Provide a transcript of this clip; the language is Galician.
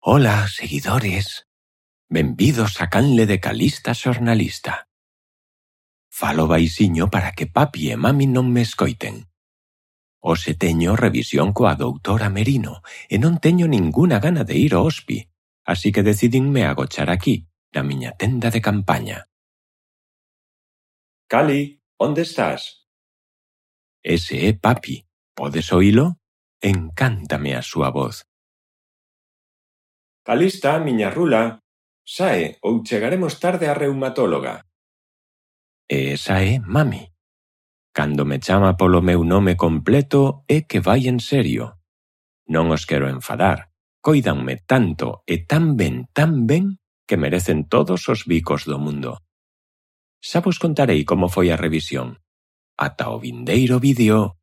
Ola, seguidores. Benvidos a canle de Calista xornalista. Falo baisiño para que papi e mami non me escoiten. Hoxe teño revisión coa doutora Merino e non teño ninguna gana de ir ao hospi, así que decidinme agochar aquí, na miña tenda de campaña. Cali, onde estás? Ese é papi. Podes oílo? Encántame a súa voz. Calista, miña rula. Sae, ou chegaremos tarde á reumatóloga. E esa é mami. Cando me chama polo meu nome completo é que vai en serio. Non os quero enfadar. Coídanme tanto e tan ben, que merecen todos os bicos do mundo. Xa vos contarei como foi a revisión. Ata o vindeiro vídeo.